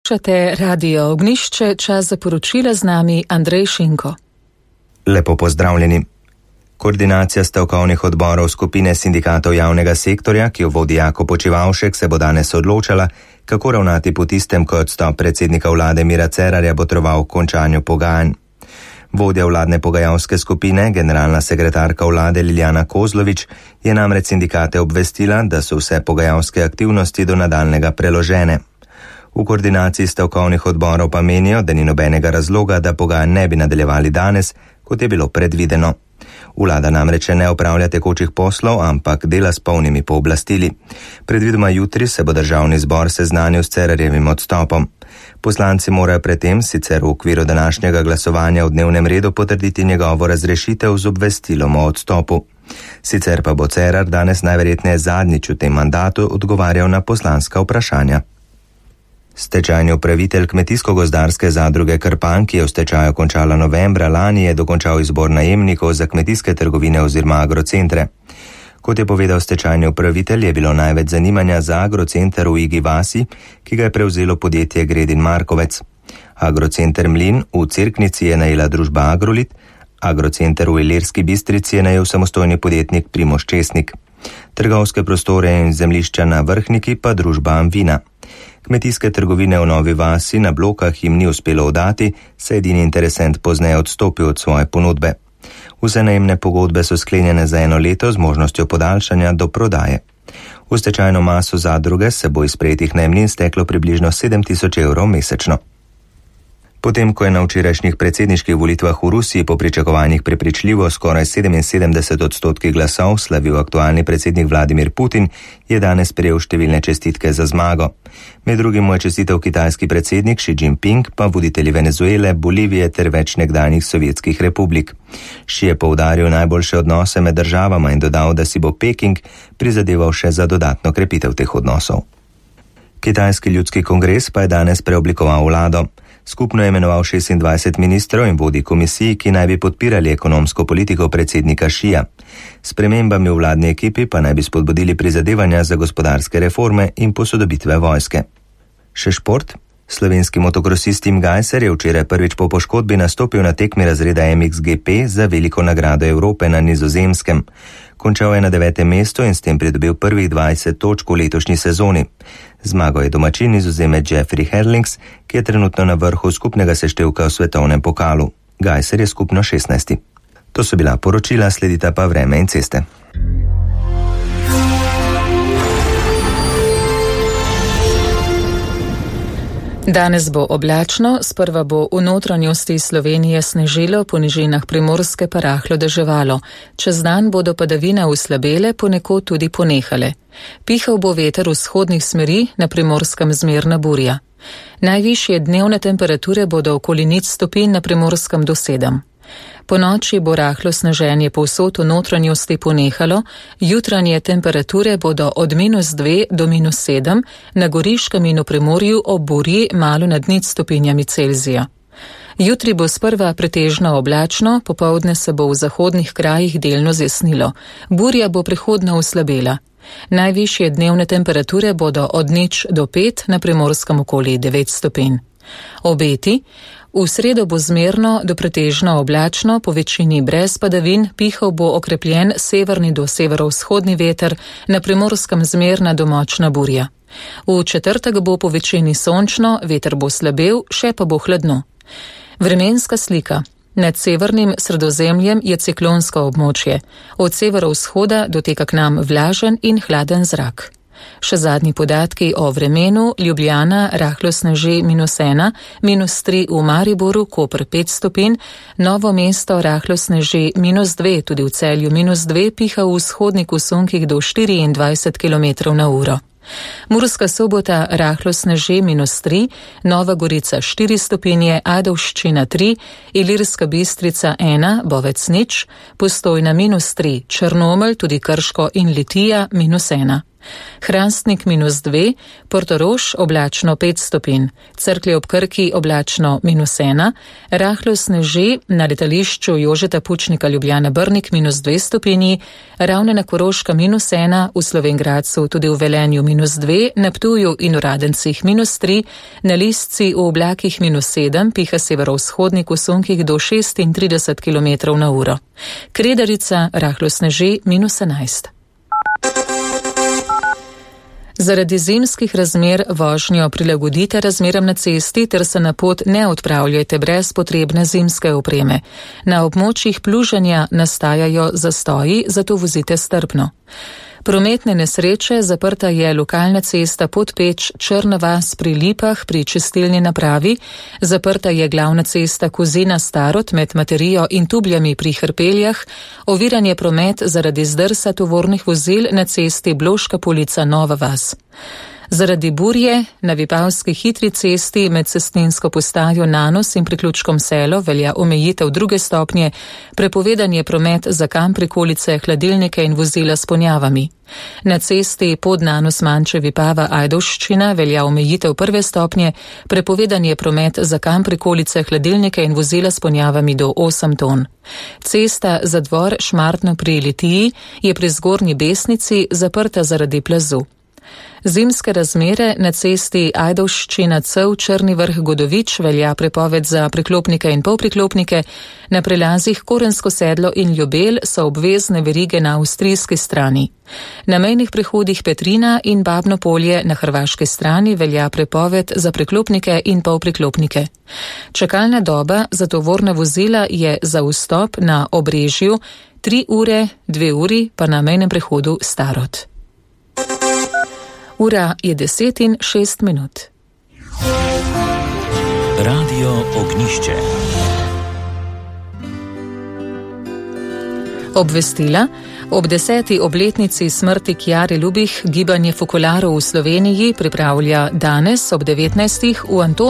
Poslušate Radio Ognjišče, čas za poročila z nami Andrej Šinko. Lepo pozdravljeni. Koordinacija stavkovnih odborov skupine sindikatov javnega sektorja, ki jo vodi Jako Počivavšek, se bo danes odločala, kako ravnati po tistem, ko odstop predsednika vlade Mira Cerarja botroval končanju pogajanj. Vodja vladne pogajalske skupine, generalna sekretarka vlade Liljana Kozlovič, je namreč sindikate obvestila, da so vse pogajalske aktivnosti do nadaljnega preložene. V koordinaciji stavkovnih odborov pa menijo, da ni nobenega razloga, da pogajanj ne bi nadaljevali danes, kot je bilo predvideno. Vlada namreč ne opravlja tekočih poslov, ampak dela s polnimi pooblastili. Predvidoma jutri se bo državni zbor seznanil s Cerarjevim odstopom. Poslanci morajo predtem sicer v okviru današnjega glasovanja v dnevnem redu potrditi njegovo razrešitev z obvestilom o odstopu. Sicer pa bo Cerar danes najverjetneje zadnjič v tem mandatu odgovarjal na poslanska vprašanja. Stečajni upravitelj Kmetijsko-gozdarske zadruge Krpan, ki je v stečaju končala novembra lani, je dokončal izbor najemnikov za kmetijske trgovine oziroma agrocentre. Kot je povedal stečajni upravitelj, je bilo največ zanimanja za agrocenter v Igi vasi, ki ga je prevzelo podjetje Gredin Markovec. Agrocenter Mlin v Cerknici je najela družba Agrolit, agrocenter v Ilirski Bistrici je najel samostojni podjetnik Primož Česnik. Trgovske prostore in zemljišča na Vrhniki pa družba Amvina. Kmetijske trgovine v Novi vasi na Blokah jim ni uspelo oddati, saj edini interesent pozneje odstopil od svoje ponudbe. Vse najemne pogodbe so sklenjene za 1 leto z možnostjo podaljšanja do prodaje. V stečajno maso zadruge se bo iz prejetih najemnin steklo približno 7.000 evrov mesečno. Potem, ko je na včerajšnjih predsedniških volitvah v Rusiji po pričakovanjih prepričljivo skoraj 77% glasov slavil aktualni predsednik Vladimir Putin, je danes prejel številne čestitke za zmago. Med drugim mu je čestital kitajski predsednik Xi Jinping, pa voditelji Venezuele, Bolivije ter več nekdanjih sovjetskih republik. Xi je poudaril najboljše odnose med državama in dodal, da si bo Peking prizadeval še za dodatno krepitev teh odnosov. Kitajski ljudski kongres pa je danes preoblikoval vlado. Skupno je imenoval 26 ministrov in vodi komisiji, ki naj bi podpirali ekonomsko politiko predsednika Šija. S spremembami v vladni ekipi pa naj bi spodbudili prizadevanja za gospodarske reforme in posodobitve vojske. Še šport. Slovenski motokrosist Tim Gajser je včeraj prvič po poškodbi nastopil na tekmi razreda MXGP za veliko nagrado Evrope na Nizozemskem. Končal je na 9. mestu in s tem pridobil prvih 20 točk v letošnji sezoni. Zmago je domačin Nizozemec Jeffrey Herlings, ki je trenutno na vrhu skupnega seštevka v svetovnem pokalu. Gajser je skupno 16. To so bila poročila, sledita pa vreme in ceste. Danes bo oblačno, sprva bo v notranjosti Slovenije snežilo, po nižinah Primorske pa rahlo deževalo. Čez dan bodo padavine uslabele, ponekod tudi ponehale. Pihal bo veter vzhodnih smeri, na Primorskem zmerna burja. Najvišje dnevne temperature bodo okoli 0 stopinj, na Primorskem do 7. Po noči bo rahlo sneženje povsod v notranjosti ponehalo, jutranje temperature bodo od -2 do -7, na Goriškem in v Primorju ob burji malo nad 0 stopinjami Celzija. Jutri bo sprva pretežno oblačno, popoldne se bo v zahodnih krajih delno zjasnilo. Burja bo prehodno oslabela. Najvišje dnevne temperature bodo od 0 do 5, na Primorskem okoli 9 stopinj. Obeti. V sredo bo zmerno do pretežno oblačno, po večini brez padavin, pihal bo okrepljen severni do severovzhodni veter, na Primorskem zmerna do močna burja. V četrtek bo po večini sončno, veter bo slabel, še pa bo hladno. Vremenska slika. Nad severnim Sredozemljem je ciklonsko območje. Od severovzhoda doteka k nam vlažen in hladen zrak. Še zadnji podatki o vremenu. Ljubljana rahlo sneži -1, -3 v Mariboru, Koper 5 stopinj, Novo mesto rahlo sneži -2, tudi v Celju -2, piha v vzhodnih usunkih do 24 km/h. Murska Sobota rahlo sneži -3, Nova Gorica 4 stopinje, Ajdovščina 3, Ilirska Bistrica 1, Bovec 0, Postojna -3, Črnomelj, tudi Krško in Litija -1. Hrastnik -2, Portorož oblačno 5 stopinj, Cerklje ob Krki oblačno -1, rahlo sneži na letališču Jožeta Pučnika Ljubljana Brnik -2 stopinji, Ravne na Koroška -1, v Slovenj Gradcu tudi v Velenju -2, na Ptuju in v Radencih -3, na Lisci v oblakih -7, piha severovzhodnik v sunkih do 36 km/h. Kredarica rahlo sneži -11. Zaradi zimskih razmer vožnjo prilagodite razmeram na cesti ter se na pot ne odpravljajte brez potrebne zimske opreme. Na območjih pluženja nastajajo zastoji, zato vozite strpno. Prometne nesreče, zaprta je lokalna cesta Podpeč Črna vas pri Lipah pri čistilni napravi, zaprta je glavna cesta Kozina Starod med Materijo in Tubljami pri Hrpeljah, oviran je promet zaradi zdrsa tovornih vozil na cesti Bloška Polica Nova vas. Zaradi burje na Vipavski hitri cesti med cestninsko postajo Nanos in priključkom Selo velja omejitev 2. stopnje, prepovedan je promet za kam prikolice, hladilnike in vozila s ponjavami. Na cesti pod Nanos Manče Vipava Ajdovščina velja omejitev 1. stopnje, prepovedan je promet za kam prikolice, hladilnike in vozila s ponjavami do 8 ton. Cesta za dvor Šmartno pri Litiji je pri Zgornji Besnici zaprta zaradi plazu. Zimske razmere na cesti Ajdovščina Cev Črni Vrh Godovič velja prepoved za priklopnike in polpriklopnike, na prelazih Korensko Sedlo in Ljubelj so obvezne verige na avstrijski strani. Na mejnih prehodih Petrina in Babno Polje na hrvaški strani velja prepoved za priklopnike in polpriklopnike. Čakalna doba za tovorna vozila je za vstop na Obrežju 3 ure, 2 uri pa na mejnem prehodu Starod. Ura je 10:06. Radio Ognjišče. Obvestila. Ob 10. obletnici smrti Kjare Lubih gibanje fokularov v Sloveniji pripravlja danes ob 19. v Antonu